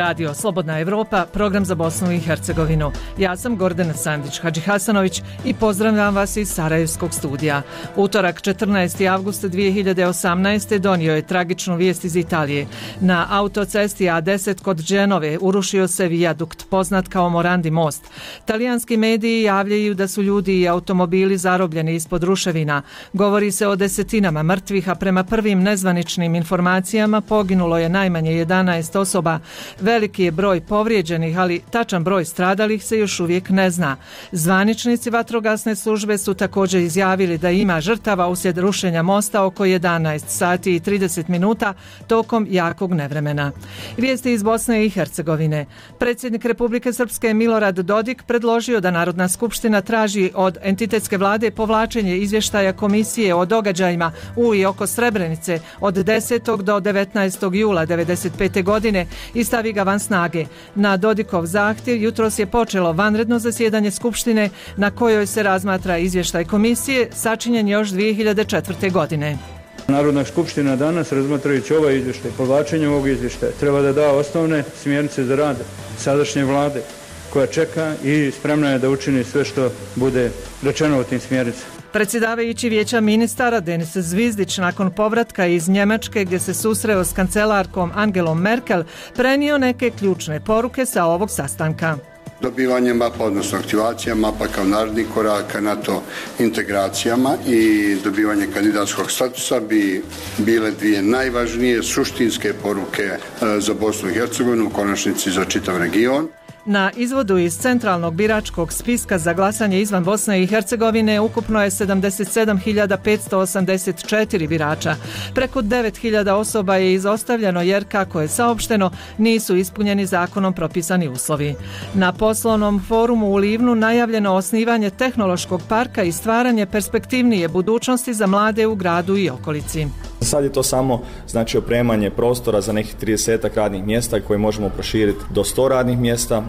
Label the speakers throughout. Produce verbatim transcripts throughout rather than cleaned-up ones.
Speaker 1: Radio Slobodna Evropa, program za Bosnu i Hercegovinu. Ja sam Gordana Sandić-Hadžihasanović i pozdravljam vas iz Sarajevskog studija. Utorak četrnaesti avgust dvije hiljade osamnaeste. donio je tragičnu vijest iz Italije. Na autocesti A deset kod Dženove urušio se vijadukt, poznat kao Morandi most. Talijanski mediji javljaju da su ljudi i automobili zarobljeni ispod ruševina. Govori se o desetinama mrtvih, a prema prvim nezvaničnim informacijama poginulo je najmanje jedanaest osoba. Veliki je broj povrijeđenih, ali tačan broj stradalih se još uvijek ne zna. Zvaničnici vatrogasne službe su također izjavili da ima žrtava uslijed rušenja mosta oko jedanaest sati i trideset minuta tokom jakog nevremena. Vijesti iz Bosne i Hercegovine. Predsjednik Republike Srpske Milorad Dodik predložio da Narodna skupština traži od entitetske vlade povlačenje izvještaja komisije o događajima u i oko Srebrenice od desetog do devetnaestog jula devedeset pete. godine i stavi ga van snage. Na Dodikov zahtjev jutros je počelo vanredno zasjedanje Skupštine na kojoj se razmatra izvještaj komisije sačinjen još dvije hiljade četvrte. godine.
Speaker 2: Narodna skupština danas, razmatrajući ovaj izvještaj, povlačenje ovog izvještaja, treba da da osnovne smjernice za rad sadašnje vlade koja čeka i spremna je da učini sve što bude rečeno u tim smjernicama.
Speaker 1: Predsjedavajući vijeća ministara Denis Zvizdić nakon povratka iz Njemačke gdje se susreo s kancelarkom Angelom Merkel prenio neke ključne poruke sa ovog sastanka.
Speaker 3: Dobivanje mapa, odnosno aktivacija mapa kao naredni korak NATO integracijama i dobivanje kandidatskog statusa bi bile dvije najvažnije suštinske poruke za Bosnu i Hercegovinu, u konačnici za čitav region.
Speaker 1: Na izvodu iz centralnog biračkog spiska za glasanje izvan Bosne i Hercegovine ukupno je sedamdeset sedam hiljada petsto osamdeset četiri birača. Preko devet hiljada osoba je izostavljeno jer, kako je saopšteno, nisu ispunjeni zakonom propisani uslovi. Na poslovnom forumu u Livnu najavljeno osnivanje tehnološkog parka i stvaranje perspektivnije budućnosti za mlade u gradu i okolici.
Speaker 4: Sad je to samo znači opremanje prostora za nekih tridesetak radnih mjesta koje možemo proširiti do sto radnih mjesta,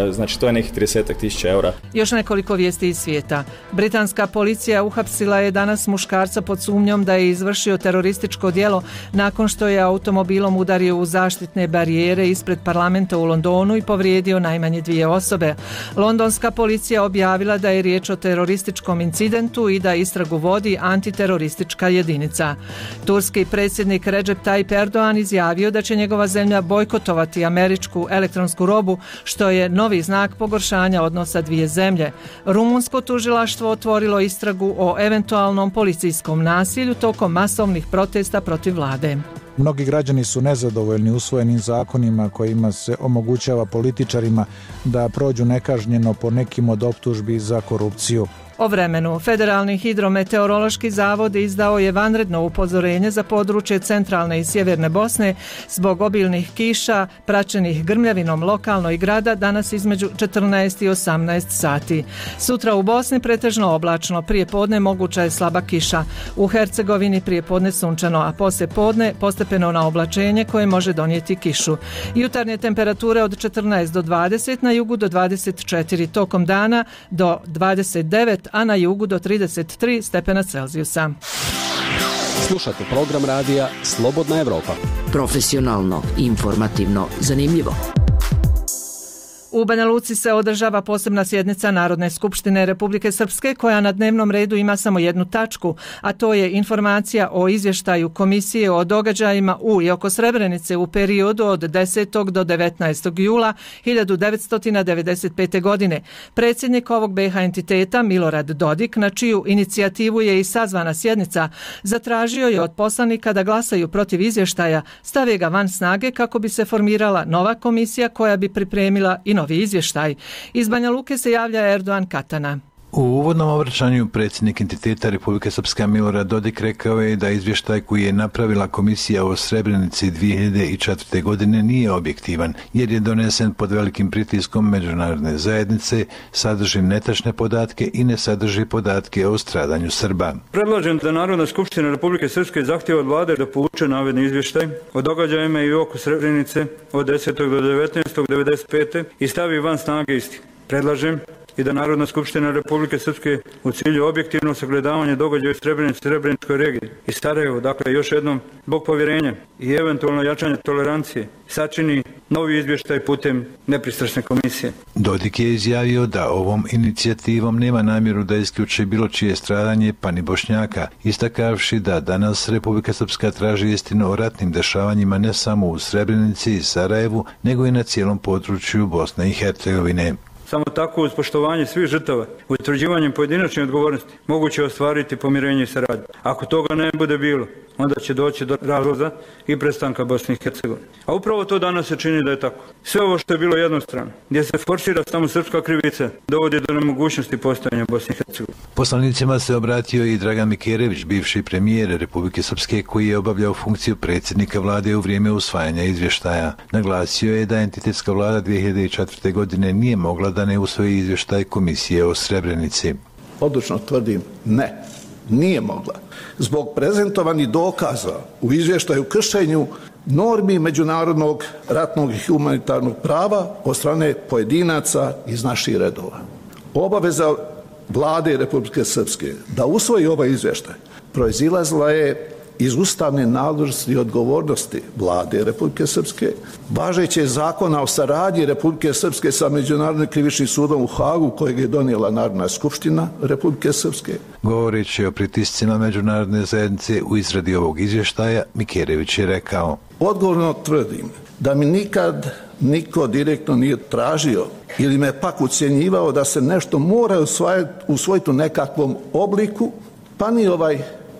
Speaker 4: e, znači to je nekih tridesetak tisuća eura.
Speaker 1: Još nekoliko vijesti iz svijeta. Britanska policija uhapsila je danas muškarca pod sumnjom da je izvršio terorističko djelo nakon što je automobilom udario u zaštitne barijere ispred parlamenta u Londonu i povrijedio najmanje dvije osobe. Londonska policija objavila da je riječ o terorističkom incidentu i da istragu vodi antiteroristička jedinica. Turski predsjednik Recep Tayyip Erdogan izjavio da će njegova zemlja bojkotovati američku elektronsku robu, što je novi znak pogoršanja odnosa dvije zemlje. Rumunsko tužilaštvo otvorilo istragu o eventualnom policijskom nasilju tokom masovnih protesta protiv vlade.
Speaker 5: Mnogi građani su nezadovoljni usvojenim zakonima kojima se omogućava političarima da prođu nekažnjeno po nekim od optužbi za korupciju.
Speaker 1: O vremenu. Federalni hidrometeorološki zavod izdao je vanredno upozorenje za područje centralne i sjeverne Bosne zbog obilnih kiša praćenih grmljavinom lokalno i grada danas između četrnaest i osamnaest sati. Sutra u Bosni pretežno oblačno, prije podne moguća je slaba kiša. U Hercegovini prije podne sunčano, a poslije podne postepeno na oblačenje koje može donijeti kišu. Jutarnje temperature od četrnaest do dvadeset, na jugu do dvadeset četiri, tokom dana do dvadeset devet, a na jugu do trideset tri stepena Celzijusa.
Speaker 6: Slušate program radija Slobodna Evropa.
Speaker 7: Profesionalno, informativno, zanimljivo.
Speaker 1: U Banja Luci se održava posebna sjednica Narodne skupštine Republike Srpske koja na dnevnom redu ima samo jednu tačku, a to je informacija o izvještaju komisije o događajima u i oko Srebrenice u periodu od desetog do devetnaestog jula hiljadu devetsto devedeset pete. godine. Predsjednik ovog be ha entiteta Milorad Dodik, na čiju inicijativu je i sazvana sjednica, zatražio je od poslanika da glasaju protiv izvještaja, stave ga van snage kako bi se formirala nova komisija koja bi pripremila i novi izvještaj. Iz Banja Luke se javlja Erdogan Katana.
Speaker 8: U uvodnom obraćanju predsjednik entiteta Republike Srpske Milorad Dodik rekao je da izvještaj koji je napravila komisija o Srebrenici dvije hiljade četvrte. godine nije objektivan, jer je donesen pod velikim pritiskom međunarodne zajednice, sadrži netačne podatke i ne sadrži podatke o stradanju Srba.
Speaker 2: Predlažem da Narodna skupština Republike Srpske zahtjeva od vlade da povuče navedeni izvještaj o događajima i oko Srebrenice od desetog do devetnaestog devedeset pete. i stavi van snage isti. Predlažem i da Narodna skupština Republike Srpske u cilju objektivnog sagledavanja događaja u Srebrenici, Srebreničkoj regiji i Sarajevu, dakle još jednom, zbog povjerenja i eventualno jačanja tolerancije, sačini novi izvještaj putem nepristrasne komisije.
Speaker 8: Dodik je izjavio da ovom inicijativom nema namjeru da isključi bilo čije stradanje, pa ni Bošnjaka, istakavši da danas Republika Srpska traži istinu o ratnim dešavanjima ne samo u Srebrenici i Sarajevu, nego i na cijelom području Bosne i Hercegovine.
Speaker 2: Samo tako uz poštovanje svih žrtava, utvrđivanjem pojedinačne odgovornosti, moguće ostvariti pomirenje i saradnju. Ako toga ne bude bilo, onda će doći do razloza i prestanka Bosne i Hercegovine. A upravo to danas se čini da je tako. Sve ovo što je bilo jednostrano, gdje se forsira samo srpska krivica, dovodi do nemogućnosti postojanja Bosne i Hercegovine.
Speaker 8: Poslanicima se obratio i Dragan Mikerević, bivši premijer Republike Srpske, koji je obavljao funkciju predsjednika vlade u vrijeme usvajanja izvještaja. Naglasio je da entitetska vlada dvije hiljade četvrte. godine nije mogla da ne usvoji izvještaj Komisije o Srebrenici.
Speaker 9: Odlučno tvrdim ne, nije mogla. Zbog prezentovanih dokaza u izvještaju kršenju normi međunarodnog ratnog i humanitarnog prava od strane pojedinaca iz naših redova. Obaveza vlade Republike Srpske da usvoji ovaj izvještaj proizilazila je iz ustavne nadležnosti i odgovornosti vlade Republike Srpske, važeće zakona o saradnji Republike Srpske sa Međunarodnim krivičnim sudom u Hagu, kojeg je donijela Narodna skupština Republike Srpske.
Speaker 8: Govoreći o pritiscima međunarodne zajednice u izradi ovog izvještaja, Mikerević je rekao:
Speaker 9: Odgovorno tvrdim da mi nikad niko direktno nije tražio ili me pak ucjenjivao da se nešto mora usvojiti u nekakvom obliku, pa ni ovaj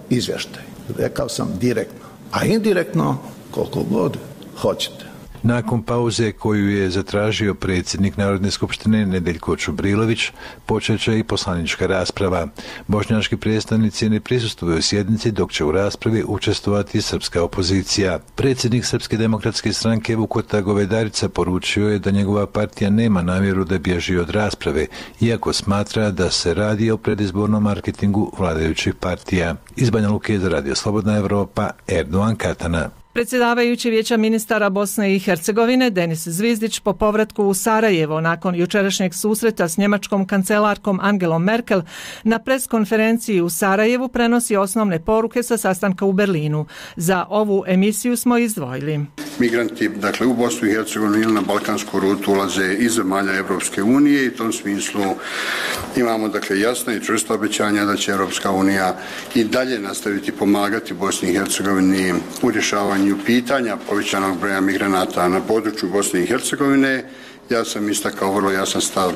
Speaker 9: izvještaj. Rekao sam direktno, a indirektno koliko god hoćete.
Speaker 8: Nakon pauze koju je zatražio predsjednik Narodne skupštine Nedeljko Čubrilović, počet će i poslanička rasprava. Bošnjački predstavnici ne prisustvuju sjednici, dok će u raspravi učestvovati srpska opozicija. Predsjednik Srpske demokratske stranke Vukota Govedarica poručio je da njegova partija nema namjeru da bježi od rasprave, iako smatra da se radi o predizbornom marketingu vladajućih partija. Iz Banja Luke za Radio Slobodna Evropa, Erdogan Katana.
Speaker 1: Predsjedavajući Vijeća ministara Bosne i Hercegovine Denis Zvizdić po povratku u Sarajevo nakon jučerašnjeg susreta s njemačkom kancelarkom Angelom Merkel na preskonferenciji u Sarajevu prenosi osnovne poruke sa sastanka u Berlinu. Za ovu emisiju smo izdvojili.
Speaker 3: Migranti, dakle, u Bosnu i Hercegovinu ili na balkansku rutu ulaze iz zemalja Evropske unije i u tom smislu imamo, dakle, jasna i čvrsta obećanja da će Evropska unija i dalje nastaviti pomagati Bosni i Hercegovini u rješavanju pitanja povećanog broja migranata na području Bosne i Hercegovine. Ja sam istakao vrlo jasan stav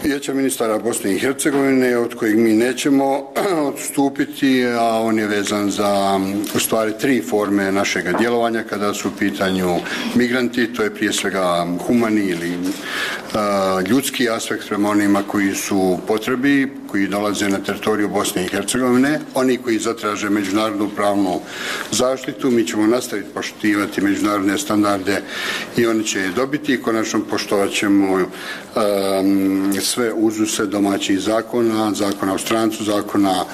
Speaker 3: Vijeća ministara Bosne i Hercegovine, od kojeg mi nećemo odstupiti, a on je vezan za u stvari tri forme našega djelovanja kada su u pitanju migranti. To je prije svega humani ili a, ljudski aspekt prema onima koji su potrebi, koji dolaze na teritoriju Bosne i Hercegovine, oni koji zatraže međunarodnu pravnu zaštitu. Mi ćemo nastaviti poštivati međunarodne standarde i oni će je dobiti i konačno poštovat ćemo um, sve uzuse domaćih zakona, zakona o strancu, zakona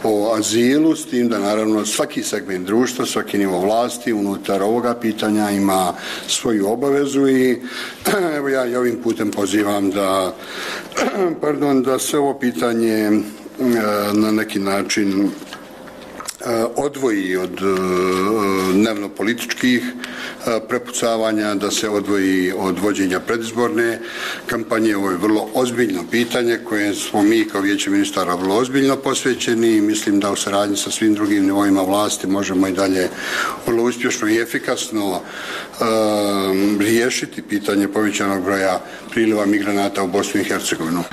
Speaker 3: o azilu, s tim da naravno svaki segment društva, svaki nivo vlasti unutar ovoga pitanja ima svoju obavezu i evo ja i ovim putem pozivam da, pardon, da se ovo pitanje na neki način odvoji od dnevno političkih prepucavanja, da se odvoji od vođenja predizborne kampanje. Ovo je vrlo ozbiljno pitanje koje smo mi kao Vijeće ministara vrlo ozbiljno posvećeni i mislim da u saradnji sa svim drugim nivoima vlasti možemo i dalje vrlo uspješno i efikasno um, riješiti pitanje povećanog broja priliva migranata u Bosnu i Hercegovinu.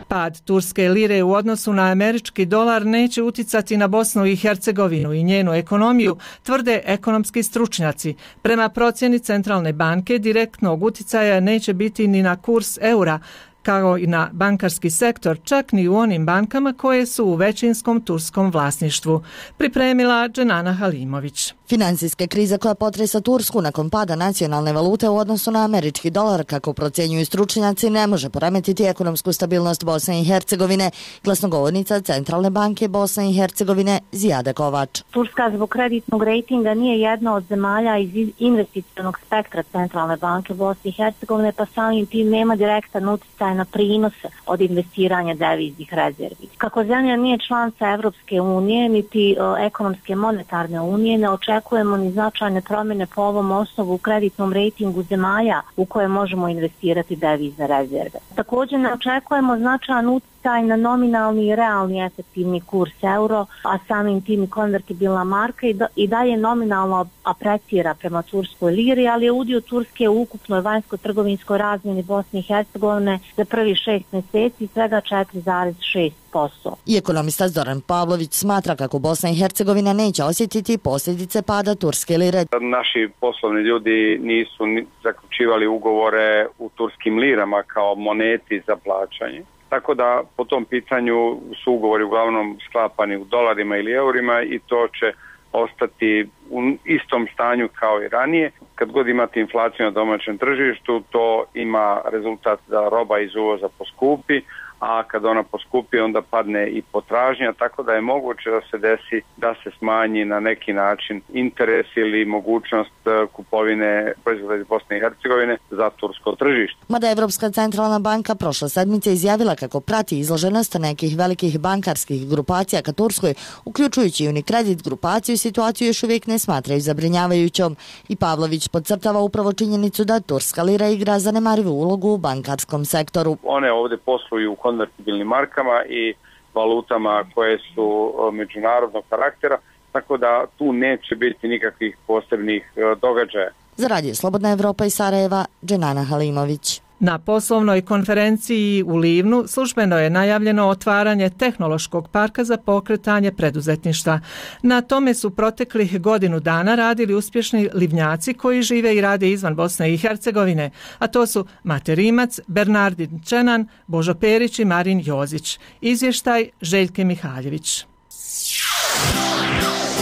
Speaker 1: Pad turske lire u odnosu na američki dolar neće uticati na Bosnu i Hercegovinu i njenu ekonomiju, tvrde ekonomski stručnjaci. Prema procjeni Centralne banke direktnog uticaja neće biti ni na kurs eura, kao i na bankarski sektor, čak ni u onim bankama koje su u većinskom turskom vlasništvu. Pripremila Dženana Halimović.
Speaker 10: Financijska kriza koja potresa Tursku nakon pada nacionalne valute u odnosu na američki dolar, kako procjenjuju stručnjaci, ne može poremetiti ekonomsku stabilnost Bosne i Hercegovine, glasnogovornica Centralne banke Bosne i Hercegovine Zijada Kovač.
Speaker 11: Turska zbog kreditnog rejtinga nije jedna od zemalja iz investicionog spektra Centralne banke Bosne i Hercegovine, pa samim tim nema direktan utjecaj značajna prinose od investiranja deviznih rezervi. Kako zemlja nije članica Evropske unije niti o, ekonomske monetarne unije, ne očekujemo ni značajne promjene po ovom osnovu u kreditnom rejtingu zemalja u koje možemo investirati devizne rezerve. Također ne očekujemo značajan utjecaj na nominalni i realni efektivni kurs euro, a samim tim i konvertibilna marka i, do, i dalje nominalno aprecira prema turskoj liri, ali je udio Turske u ukupnoj vanjsko-trgovinskoj razmjeni Bosne i Hercegovine za prvi šest mjeseci svega četiri zarez šest posto.
Speaker 10: I ekonomista Zoran Pavlović smatra kako Bosna i Hercegovina neće osjetiti posljedice pada turske lire.
Speaker 12: Naši poslovni ljudi nisu zaključivali ugovore u turskim lirama kao moneti za plaćanje. Tako da po tom pitanju su ugovori uglavnom sklapani u dolarima ili eurima i to će ostati u istom stanju kao i ranije. Kad god imate inflaciju na domaćem tržištu, to ima rezultat da roba iz uvoza poskupi, a kad ona poskupi onda padne i potražnja, tako da je moguće da se desi da se smanji na neki način interes ili mogućnost kupovine proizvoda iz Bosne i Hercegovine za tursko tržište.
Speaker 10: Mada Evropska centralna banka prošle sedmice izjavila kako prati izloženost nekih velikih bankarskih grupacija ka Turskoj, uključujući Unicredit grupaciju, situaciju još uvijek ne smatraju zabrinjavajućom. I Pavlović podcrtava upravo činjenicu da turska lira igra zanemarivu ulogu u bankarskom sektoru.
Speaker 12: One ovdje posluju u konvertibilnim markama i valutama koje su međunarodnog karaktera, tako da tu neće biti nikakvih posebnih događaja.
Speaker 10: Za Radio Slobodna Evropa iz Sarajeva, Dženana Halimović.
Speaker 1: Na poslovnoj konferenciji u Livnu službeno je najavljeno otvaranje tehnološkog parka za pokretanje preduzetništva. Na tome su proteklih godinu dana radili uspješni livnjaci koji žive i rade izvan Bosne i Hercegovine, a to su Mate Rimac, Bernardin Čenan, Božo Perić i Marin Jozić. Izvještaj Željke Mihaljević.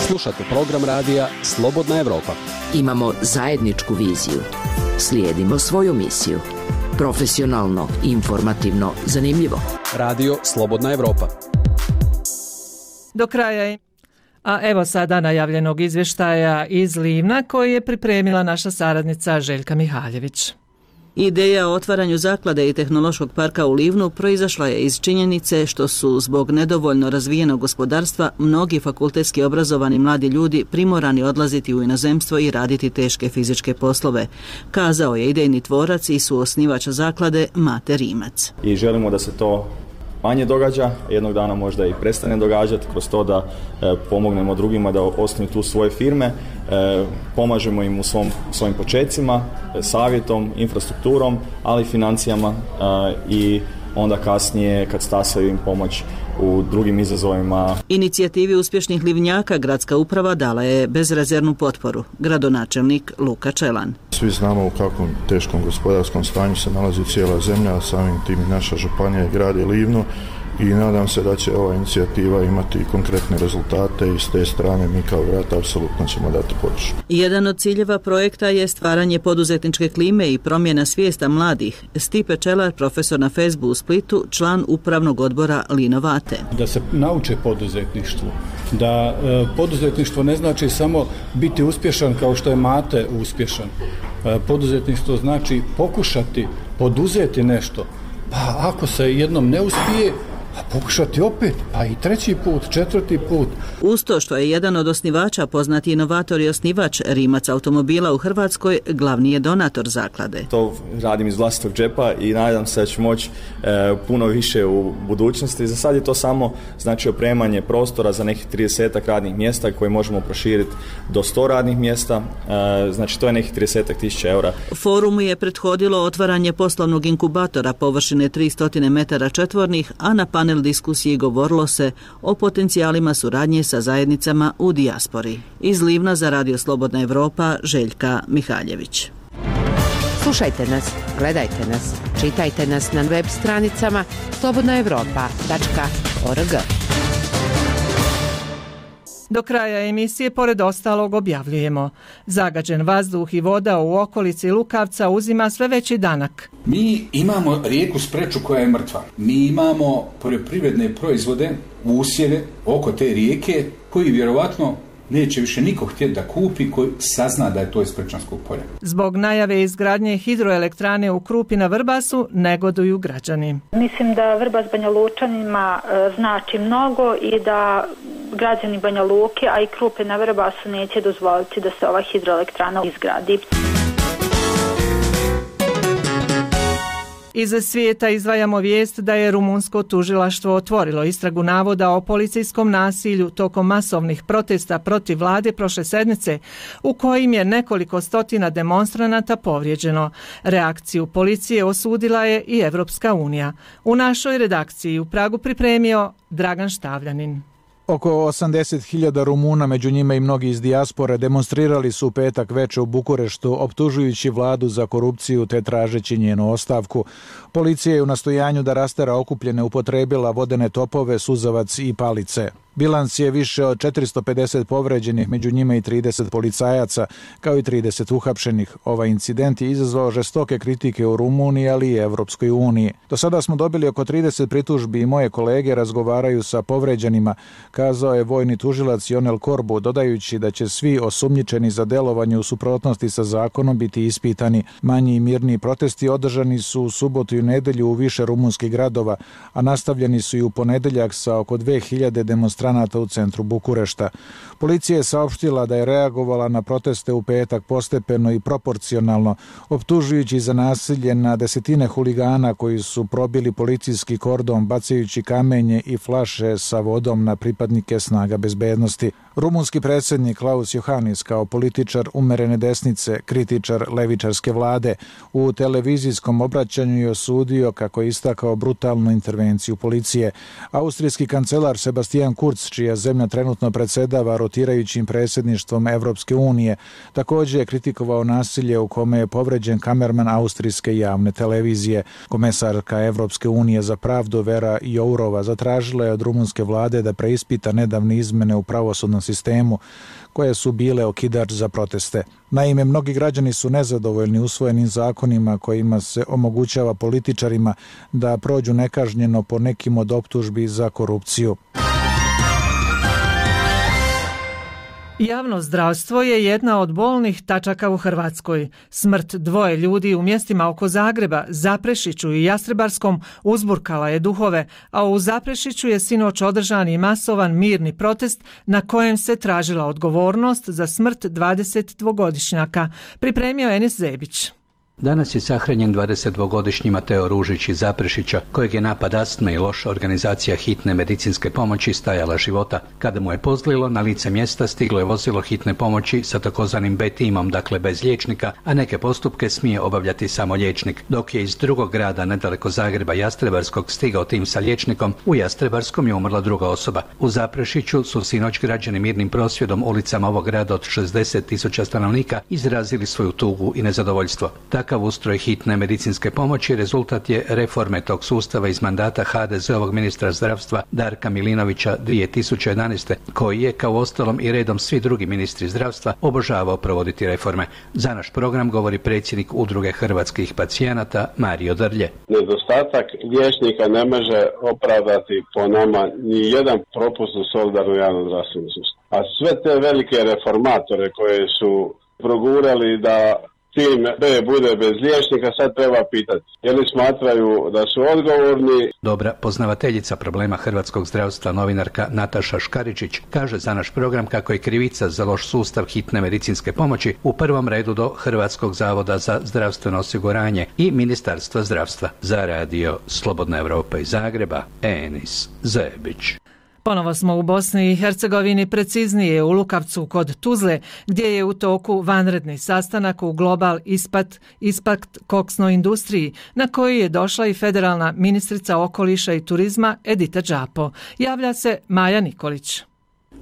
Speaker 6: Slušate program radija Slobodna Evropa.
Speaker 7: Imamo zajedničku viziju. Slijedimo svoju misiju. Profesionalno, informativno, zanimljivo.
Speaker 6: Radio Slobodna Evropa.
Speaker 1: Do kraja je. A evo sada najavljenog izvještaja iz Livna koji je pripremila naša saradnica Željka Mihaljević.
Speaker 13: Ideja o otvaranju zaklade i tehnološkog parka u Livnu proizašla je iz činjenice što su zbog nedovoljno razvijenog gospodarstva mnogi fakultetski obrazovani mladi ljudi primorani odlaziti u inozemstvo i raditi teške fizičke poslove, kazao je idejni tvorac i suosnivač zaklade Mate Rimac.
Speaker 4: I želimo da se to manje događa, jednog dana možda i prestane događati kroz to da e, pomognemo drugima da osnuju tu svoje firme, e, pomažemo im u svom, svojim počecima, e, savjetom, infrastrukturom, ali i financijama e, i onda kasnije kad stasaju im pomoć u drugim izazovima.
Speaker 13: Inicijativi uspješnih livnjaka gradska uprava dala je bezrezervnu potporu. Gradonačelnik Luka Čelan.
Speaker 14: Svi znamo u kakvom teškom gospodarskom stanju se nalazi cijela zemlja, a samim tim i naša županija i grad je Livno i nadam se da će ova inicijativa imati konkretne rezultate i s te strane mi kao grad apsolutno ćemo dati podršku.
Speaker 13: Jedan od ciljeva projekta je stvaranje poduzetničke klime i promjena svijesta mladih. Stipe Čelar, profesor na F E S B-u u Splitu, član upravnog odbora Linovate.
Speaker 15: Da se nauče poduzetništvu, da e, poduzetništvo ne znači samo biti uspješan kao što je Mate uspješan. E, poduzetništvo znači pokušati poduzeti nešto, pa ako se jednom ne uspije, a pokušati opet, a i treći put, četvrti put.
Speaker 13: Uz to što je jedan od osnivača, poznati inovator i osnivač Rimac automobila u Hrvatskoj, glavni je donator zaklade.
Speaker 4: To radim iz vlastitog džepa i nadam se da ću moći e, puno više u budućnosti. Za sad je to samo znači opremanje prostora za nekih tridesetak radnih mjesta koje možemo proširiti do sto radnih mjesta, e, znači to je nekih tridesetak tisuća eura.
Speaker 13: Forumu je prethodilo otvaranje poslovnog inkubatora površine tristo metara četvornih, a na panel diskusiji govorilo se o potencijalima suradnje sa zajednicama u dijaspori. Iz Livna za Radio Slobodna Evropa, Željka Mihaljević.
Speaker 16: Slušajte nas, gledajte nas, čitajte nas na web stranicama slobodna evropa tačka org.
Speaker 1: Do kraja emisije, pored ostalog, objavljujemo: zagađen vazduh i voda u okolici Lukavca uzima sve veći danak.
Speaker 17: Mi imamo rijeku Spreču koja je mrtva. Mi imamo poljoprivredne proizvode, usjeve oko te rijeke koji vjerovatno neće više niko htjeti da kupi koji sazna da je to iz Prečanskog polja.
Speaker 1: Zbog najave izgradnje hidroelektrane u Krupi na Vrbasu negoduju građani.
Speaker 18: Mislim da Vrbas Banja Lučanima znači mnogo i da građani Banja Luke, a i Krupe na Vrbasu neće dozvoliti da se ova hidroelektrana izgradi.
Speaker 1: Iz svijeta izdvajamo vijest da je rumunsko tužilaštvo otvorilo istragu navoda o policijskom nasilju tokom masovnih protesta protiv vlade prošle sedmice, u kojim je nekoliko stotina demonstranata povrijeđeno. Reakciju policije osudila je i Evropska unija. U našoj redakciji u Pragu pripremio Dragan Štavljanin.
Speaker 5: Oko osamdeset hiljada Rumuna, među njima i mnogi iz dijaspore, demonstrirali su u petak veče u Bukureštu, optužujući vladu za korupciju te tražeći njenu ostavku. Policija je u nastojanju da rastera okupljene upotrebila vodene topove, suzavac i palice. Bilans je više od četiristo pedeset povređenih, među njima i trideset policajaca, kao i trideset uhapšenih. Ovaj incident je izazvao žestoke kritike u Rumuniji, ali i Evropskoj uniji. Do sada smo dobili oko trideset pritužbi i moje kolege razgovaraju sa povređenima, kazao je vojni tužilac Ionel Korbu, dodajući da će svi osumnjičeni za delovanje u suprotnosti sa zakonom biti ispitani. Manji i mirni protesti održani su u subotu i nedelju u više rumunskih gradova, a nastavljeni su i u ponedeljak sa oko dve hiljade demonstracija u centru Bukurešta. Policija je saopštila da je reagovala na proteste u petak postepeno i proporcionalno, optužujući za nasilje na desetine huligana koji su probili policijski kordon bacajući kamenje i flaše sa vodom na pripadnike snaga bezbednosti. Rumunski predsjednik Klaus Johannis kao političar umerene desnice, kritičar levičarske vlade, u televizijskom obraćanju je osudio, kako je istakao, brutalnu intervenciju policije. Austrijski kancelar Sebastian Kurz, čija zemlja trenutno predsjedava rotirajućim predsjedništvom Evropske unije, također je kritikovao nasilje u kome je povređen kamerman austrijske javne televizije. Komesarka Evropske unije za pravdu Vera Jourova zatražila je od rumunske vlade da preispita nedavne izmene u pravosudnom sistemu koje su bile okidač za proteste. Naime, mnogi građani su nezadovoljni usvojenim zakonima kojima se omogućava političarima da prođu nekažnjeno po nekim od optužbi za korupciju.
Speaker 1: Javno zdravstvo je jedna od bolnih tačaka u Hrvatskoj. Smrt dvoje ljudi u mjestima oko Zagreba, Zaprešiću i Jastrebarskom uzburkala je duhove, a u Zaprešiću je sinoć održan i masovan mirni protest na kojem se tražila odgovornost za smrt dvadesetdvogodišnjaka. Pripremio Enis Zebić.
Speaker 19: Danas je sahranjen dvadesetdvogodišnji Mateo Ružić iz Zaprešića, kojeg je napad astme i loša organizacija hitne medicinske pomoći stajala života. Kada mu je pozlilo, na lice mjesta stiglo je vozilo hitne pomoći sa takozvanim B timom, dakle bez liječnika, a neke postupke smije obavljati samo liječnik. Dok je iz drugog grada, nedaleko Zagreba, Jastrebarskog, stigao tim sa liječnikom, u Jastrebarskom je umrla druga osoba. U Zaprešiću su sinoć građani mirnim prosvjedom ulicama ovog grada od šezdeset tisuća stanovnika izrazili svoju tugu i nezadovoljstvo. Takav ustroj hitne medicinske pomoći rezultat je reforme tog sustava iz mandata ha de zeovog ministra zdravstva Darka Milinovića dvije tisuće jedanaeste. koji je, kao ostalom i redom svi drugi ministri zdravstva, obožavao provoditi reforme. Za naš program govori predsjednik Udruge hrvatskih pacijenata Mario Drlje.
Speaker 20: Nedostatak liječnika ne može opravdati po nama ni jedan propust u solidarno javnom zdravstvenom sustavu. A sve te velike reformatore koje su progurali da tim B bude bez liječnika, sad treba pitati je li smatraju da su odgovorni.
Speaker 19: Dobra poznavateljica problema hrvatskog zdravstva, novinarka Nataša Škaričić, kaže za naš program kako je krivica za loš sustav hitne medicinske pomoći u prvom redu do Hrvatskog zavoda za zdravstveno osiguranje i Ministarstva zdravstva. Za radio Slobodna Evropa iz Zagreba, Enis Zebić.
Speaker 1: Ponovo smo u Bosni i Hercegovini, preciznije u Lukavcu kod Tuzle, gdje je u toku vanredni sastanak u Global Ispat, Impact koksnoj industriji, na koji je došla i federalna ministrica okoliša i turizma Edita Đapo. Javlja se Maja Nikolić.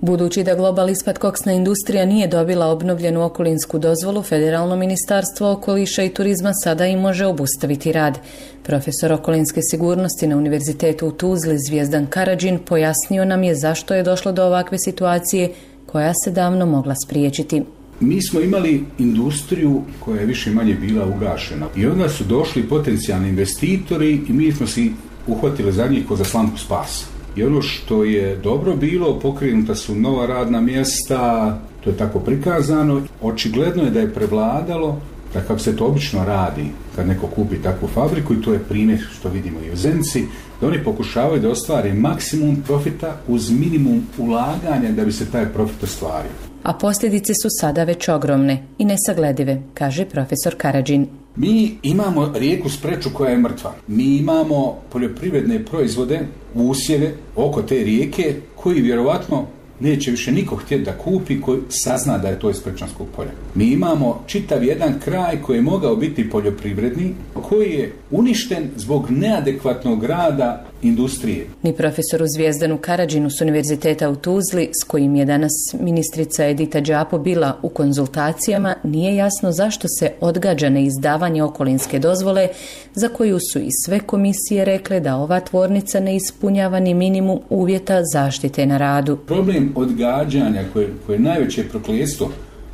Speaker 21: Budući da Global Ispat koksna industrija nije dobila obnovljenu okolinsku dozvolu, Federalno ministarstvo okoliša i turizma sada i može obustaviti rad. Profesor okolinske sigurnosti na Univerzitetu u Tuzli Zvijezdan Karadžin pojasnio nam je zašto je došlo do ovakve situacije koja se davno mogla spriječiti.
Speaker 17: Mi smo imali industriju koja je više manje bila ugašena i onda su došli potencijalni investitori i mi smo si uhvatili za njih ko za slamku spasa. I ono što je dobro bilo, pokrenuta su nova radna mjesta, to je tako prikazano. Očigledno je da je prevladalo, da kako se to obično radi kad neko kupi takvu fabriku, i to je primjer što vidimo i u Zenici, da oni pokušavaju da ostvare maksimum profita uz minimum ulaganja da bi se taj profit ostvario.
Speaker 21: A posljedice su sada već ogromne i nesagledive, kaže profesor Karadžin.
Speaker 17: Mi imamo rijeku Spreču koja je mrtva. Mi imamo poljoprivredne proizvode, usjeve oko te rijeke koji vjerovatno neće više niko htjeti da kupi koji sazna da je to iz Sprečanskog polja. Mi imamo čitav jedan kraj koji je mogao biti poljoprivredni, koji je uništen zbog neadekvatnog rada industrije.
Speaker 21: Ni profesoru Zvijezdanu Karadžinu s Univerziteta u Tuzli, s kojim je danas ministrica Edita Đapo bila u konzultacijama, nije jasno zašto se odgađa neizdavanje okolinske dozvole, za koju su i sve komisije rekle da ova tvornica ne ispunjava ni minimum uvjeta zaštite na radu.
Speaker 17: Problem odgađanja koje, koje je najveće prokletstvo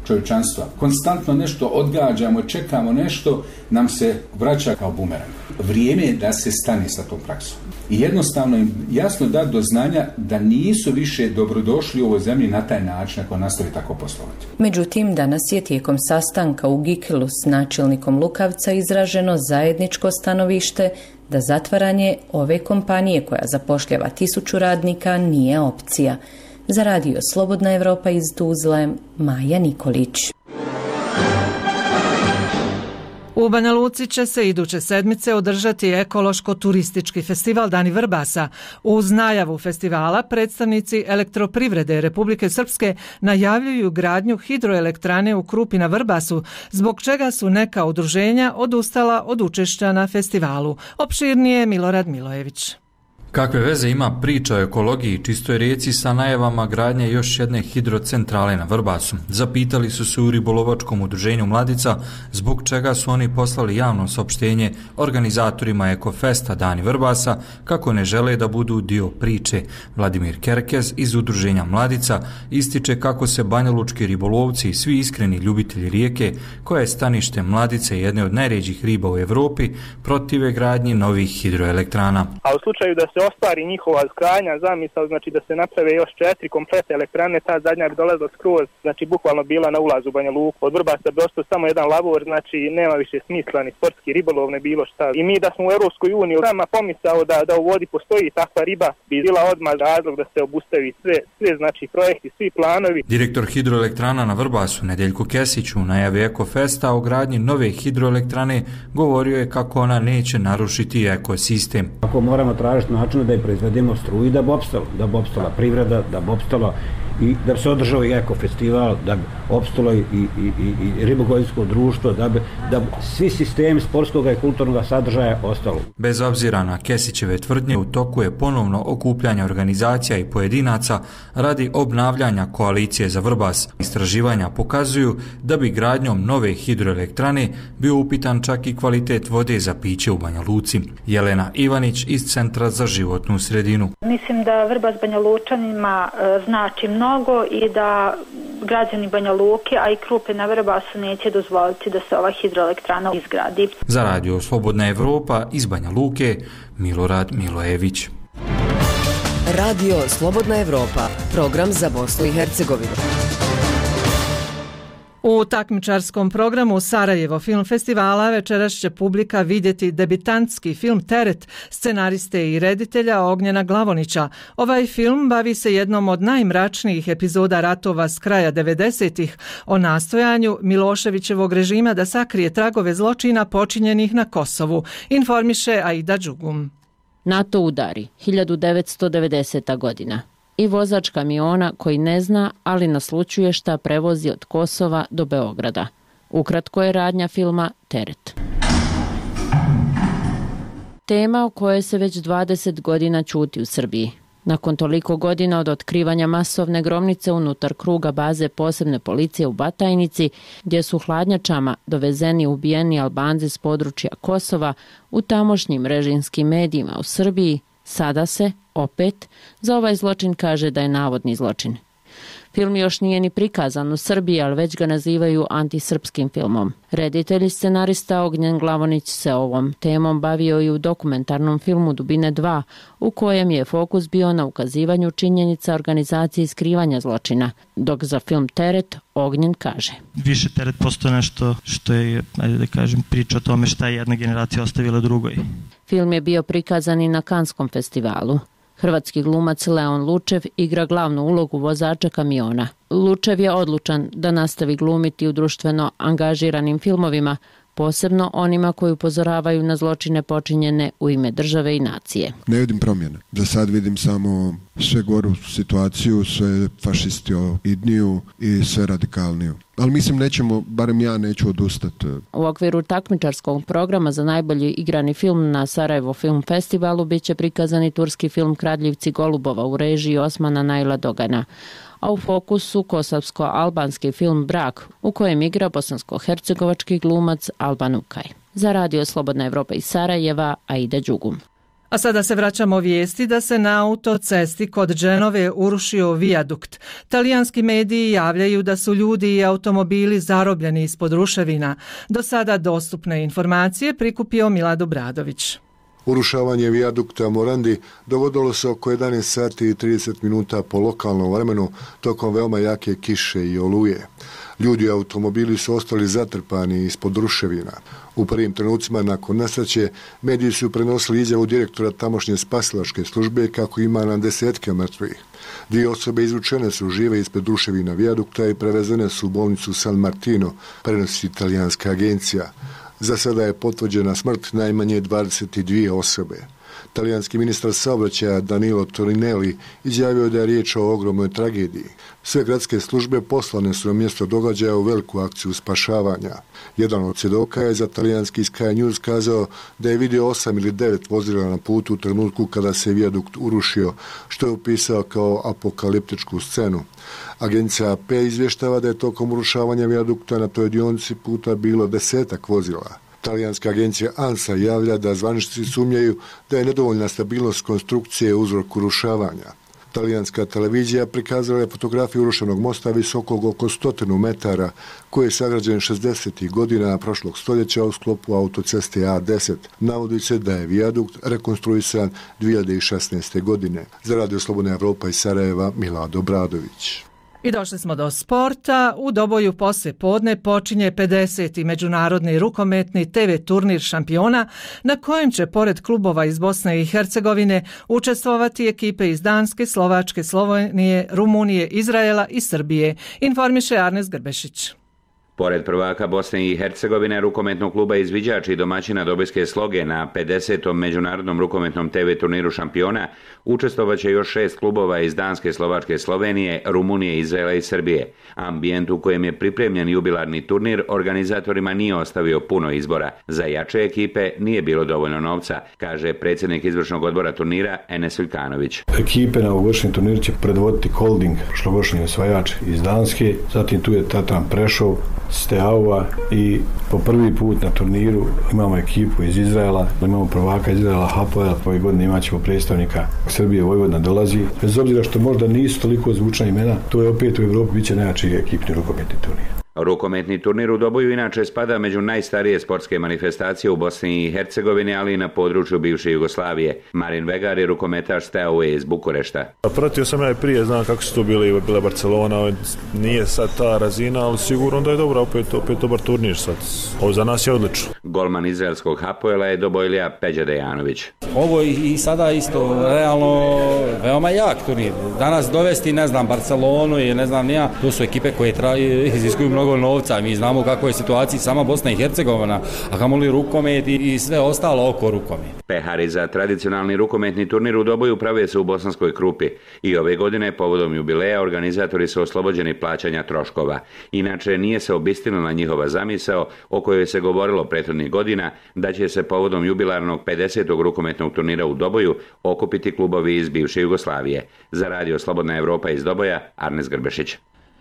Speaker 17: čovječanstva. Konstantno nešto odgađamo, čekamo nešto, nam se vraća kao bumerang. Vrijeme je da se stane sa tom praksom. I jednostavno im jasno dati do znanja da nisu više dobrodošli u ovoj zemlji na taj način ako nastavi tako poslovati.
Speaker 21: Međutim, danas je tijekom sastanka u Gikilu s načelnikom Lukavca izraženo zajedničko stanovište da zatvaranje ove kompanije koja zapošljava tisuću radnika nije opcija. Za radio Slobodna Evropa iz Tuzle, Maja Nikolić.
Speaker 1: U Banja Luci će se iduće sedmice održati ekološko-turistički festival Dani Vrbasa. Uz najavu festivala predstavnici elektroprivrede Republike Srpske najavljuju gradnju hidroelektrane u Krupi na Vrbasu, zbog čega su neka udruženja odustala od učešća na festivalu. Opširnije Milorad Milojević.
Speaker 2: Kakve veze ima priča o ekologiji i čistoj rijeci sa najavama gradnje još jedne hidrocentrale na Vrbasu? Zapitali su se u ribolovačkom udruženju Mladica zbog čega su oni poslali javno saopštenje organizatorima Ekofesta Dani Vrbasa kako ne žele da budu dio priče. Vladimir Kerkez iz udruženja Mladica ističe kako se banjalučki ribolovci i svi iskreni ljubitelji rijeke, koja je stanište Mladice jedne od najređih riba u Evropi, protive gradnji novih hidroelektrana.
Speaker 22: A u slučaju da se ostvari njihova krajnja zamisao, znači da se naprave još četiri kompletne elektrane, ta zadnja bi dolazila skroz, znači bukvalno bila na ulazu u Banja Luku. Od Vrbasa bi ostao samo jedan lavor, znači nema više smisla ni sportski ribolov, ne bilo šta. I mi da smo u Europskoj uniji sama pomisao da, da u vodi postoji takva riba, bi bila odmah razlog da se obustavi sve, sve znači projekti, svi planovi.
Speaker 2: Direktor hidroelektrana na Vrbasu, Nedeljko Kesić, u najavi Ekofesta o gradnji nove hidroelektrane govorio je kako ona neće narušiti ekosistem.
Speaker 23: Ako moramo tražiti način da je proizvedemo struju da bi opstalo, da bi opstala privreda, da bi opstalo i da bi se održao i ekofestival, da bi opstalo i, i, i, i ribogojsko društvo, da bi, da bi svi sistemi sportskog i kulturnog sadržaja ostalo.
Speaker 2: Bez obzira na Kesićeve tvrdnje, u toku je ponovno okupljanje organizacija i pojedinaca radi obnavljanja koalicije za Vrbas. Istraživanja pokazuju da bi gradnjom nove hidroelektrane bio upitan čak i kvalitet vode za piće u Banja Luci. Jelena Ivanić iz Centra za životnu sredinu.
Speaker 18: Mislim da Vrbas Banja Lučanima e, znači mnogo i da građani Banja Luke, a i Krupe na Vrbasu neće dozvoliti da se ova hidroelektrana izgradi.
Speaker 2: Za radio Slobodna Evropa iz Banja Luke, Milorad Milojević.
Speaker 24: Radio Slobodna Evropa, program za Bosnu i Hercegovinu.
Speaker 1: U takmičarskom programu Sarajevo film festivala večeras će publika vidjeti debitantski film Teret scenariste i reditelja Ognjena Glavonića. Ovaj film bavi se jednom od najmračnijih epizoda ratova s kraja devedesetih o nastojanju Miloševićevog režima da sakrije tragove zločina počinjenih na Kosovu, informiše Aida Đugum.
Speaker 25: NATO udari, hiljadu devetsto devedeseta godina. I vozač kamiona koji ne zna, ali naslućuje šta prevozi od Kosova do Beograda. Ukratko je radnja filma Teret. Tema o kojoj se već dvadeset godina ćuti u Srbiji. Nakon toliko godina od otkrivanja masovne gromnice unutar kruga baze posebne policije u Batajnici, gdje su hladnjačama dovezeni ubijeni Albanci s područja Kosova, u tamošnjim režimskim medijima u Srbiji, sada se, opet, za ovaj zločin kaže da je navodni zločin. Film još nije ni prikazan u Srbiji, ali već ga nazivaju antisrpskim filmom. Reditelj i scenarista Ognjen Glavonić se ovom temom bavio i u dokumentarnom filmu Dubine dva, u kojem je fokus bio na ukazivanju činjenica organizacije i skrivanja zločina, dok za film Teret Ognjen kaže:
Speaker 3: Više Teret postoje nešto što je, ajde da kažem, priča o tome šta je jedna generacija ostavila drugoj.
Speaker 25: Film je bio prikazan i na Kanskom festivalu. Hrvatski glumac Leon Lučev igra glavnu ulogu vozača kamiona. Lučev je odlučan da nastavi glumiti u društveno angažiranim filmovima, posebno onima koji upozoravaju na zločine počinjene u ime države i nacije.
Speaker 8: Ne vidim promjene. Za sad vidim samo sve goru situaciju, sve fašistoidniju i sve radikalniju. Ali mislim nećemo, barem ja neću odustati.
Speaker 25: U okviru takmičarskog programa za najbolji igrani film na Sarajevo Film Festivalu bit će prikazani turski film Kradljivci golubova u režiji Osmana Naila Dogana, a u fokusu kosovsko-albanski film Brak, u kojem igra bosansko-hercegovački glumac Alban Ukaj. Za Radio Slobodna Evropa iz Sarajeva, Aida Đugum.
Speaker 1: A sada se vraćamo vijesti da se na autocesti kod Dženove urušio vijadukt. Talijanski mediji javljaju da su ljudi i automobili zarobljeni ispod ruševina. Do sada dostupne informacije prikupio Milad Obradović.
Speaker 9: Urušavanje vijadukta Morandi dogodilo se oko jedanaest sati i trideset minuta po lokalnom vremenu tokom veoma jake kiše i oluje. Ljudi i automobili su ostali zatrpani ispod ruševina. U prvim trenucima nakon nesreće mediji su prenosili izjavu direktora tamošnje spasilačke službe kako ima na desetke mrtvih. Dvije osobe izvučene su žive ispred ruševina vijadukta i prevezene su u bolnicu San Martino, prenosi italijanska agencija. Za sada je potvrđena smrt najmanje dvadeset dvije osobe. Talijanski ministar saobraćaja Danilo Torinelli izjavio da je riječ o ogromnoj tragediji. Sve gradske službe poslane su na mjesto događaja u veliku akciju spašavanja. Jedan od svjedoka je za talijanski Sky News kazao da je vidio osam ili devet vozila na putu u trenutku kada se vijadukt urušio, što je upisao kao apokaliptičku scenu. Agencija A P izvještava da je tokom urušavanja vijadukta na toj dionici puta bilo desetak vozila. Talijanska agencija ANSA javlja da zvaničnici sumnjaju da je nedovoljna stabilnost konstrukcije uzrok urušavanja. Talijanska televizija prikazala je fotografiju urušenog mosta visokog oko stotinu metara, koji je sagrađen šezdesetih godina prošlog stoljeća u sklopu autoceste A deset. Navodi se da je vijadukt rekonstruisan dvije hiljade šesnaeste. godine. Za Radio Slobodna Evropa iz Sarajeva, Milad Obradović.
Speaker 1: I došli smo do sporta. U Doboju poslije podne počinje pedeseti međunarodni rukometni te ve turnir šampiona na kojem će pored klubova iz Bosne i Hercegovine učestvovati ekipe iz Danske, Slovačke, Slovenije, Rumunije, Izraela i Srbije, informiše Arnes Grbešić.
Speaker 11: Pored prvaka Bosne i Hercegovine, rukometnog kluba izviđači i domaćina Dobojske Sloge na pedesetom međunarodnom rukometnom te ve turniru šampiona učestvovaće još šest klubova iz Danske, Slovačke, Slovenije, Rumunije, Izraela i Srbije. Ambijent u kojem je pripremljen jubilarni turnir organizatorima nije ostavio puno izbora. Za jače ekipe nije bilo dovoljno novca, kaže predsjednik izvršnog odbora turnira Enes Viljkanović.
Speaker 23: Ekipe na ovogodišnjem turniru će predvoditi Holding, prošlogodišnji osvajač iz Danske, zatim tu je Tatran Prešov, Steaua i po prvi put na turniru imamo ekipu iz Izraela, imamo prvaka iz Izraela Hapoel, ove godine imat ćemo predstavnika Srbije, Vojvodina dolazi. Bez obzira što možda nisu toliko zvučna imena, to je opet u Evropi bit će najjači ekipni rukometni turnir.
Speaker 11: Rukometni turnir u Doboju inače spada među najstarije sportske manifestacije u Bosni i Hercegovini, ali i na području bivše Jugoslavije. Marin Vegar je rukometaš Steaue iz Bukurešta.
Speaker 12: Pratio sam ja i prije, znam kako su to bili, bila Barcelona, nije sad ta razina, ali sigurno da je dobro, opet, opet dobar turnir sad. Ovo za nas je odlično.
Speaker 11: Golman izraelskog Hapoela je Dobojlija Peđa Dejanović.
Speaker 26: Ovo i sada isto realno veoma jak turnir. Danas dovesti, ne znam, Barcelonu i ne znam nija, to su ekipe koje traju, iziskuju mnogo novca, mi znamo kako je situacija sama Bosna i Hercegovina, a kamoli rukomet i, i sve ostalo oko rukomet.
Speaker 11: Pehari za tradicionalni rukometni turnir u Doboju prave se u Bosanskoj Krupi i ove godine povodom jubileja organizatori su oslobođeni plaćanja troškova. Inače nije se obistinila njihova zamisao o kojoj se govorilo prethodnih godina da će se povodom jubilarnog pedesetog rukometnog turnira u Doboju okupiti klubovi iz bivše Jugoslavije. Za Radio Slobodna Evropa iz Doboja, Arnes Grbešić.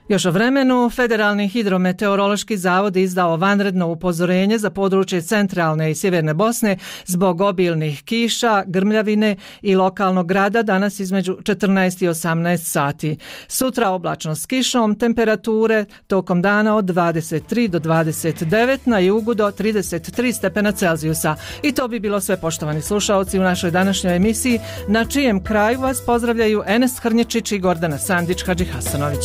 Speaker 1: Još o vremenu, Federalni hidrometeorološki zavod izdao vanredno upozorenje za područje centralne i sjeverne Bosne zbog obilnih kiša, grmljavine i lokalnog grada danas između četrnaest i osamnaest sati. Sutra oblačno s kišom, temperature tokom dana od dvadeset tri do dvadeset devet, na jugu do trideset tri stepena Celzijusa. I to bi bilo sve, poštovani slušaoci, u našoj današnjoj emisiji, na čijem kraju vas pozdravljaju Enes Hrnječić i Gordana Sandić Hadžihasanović.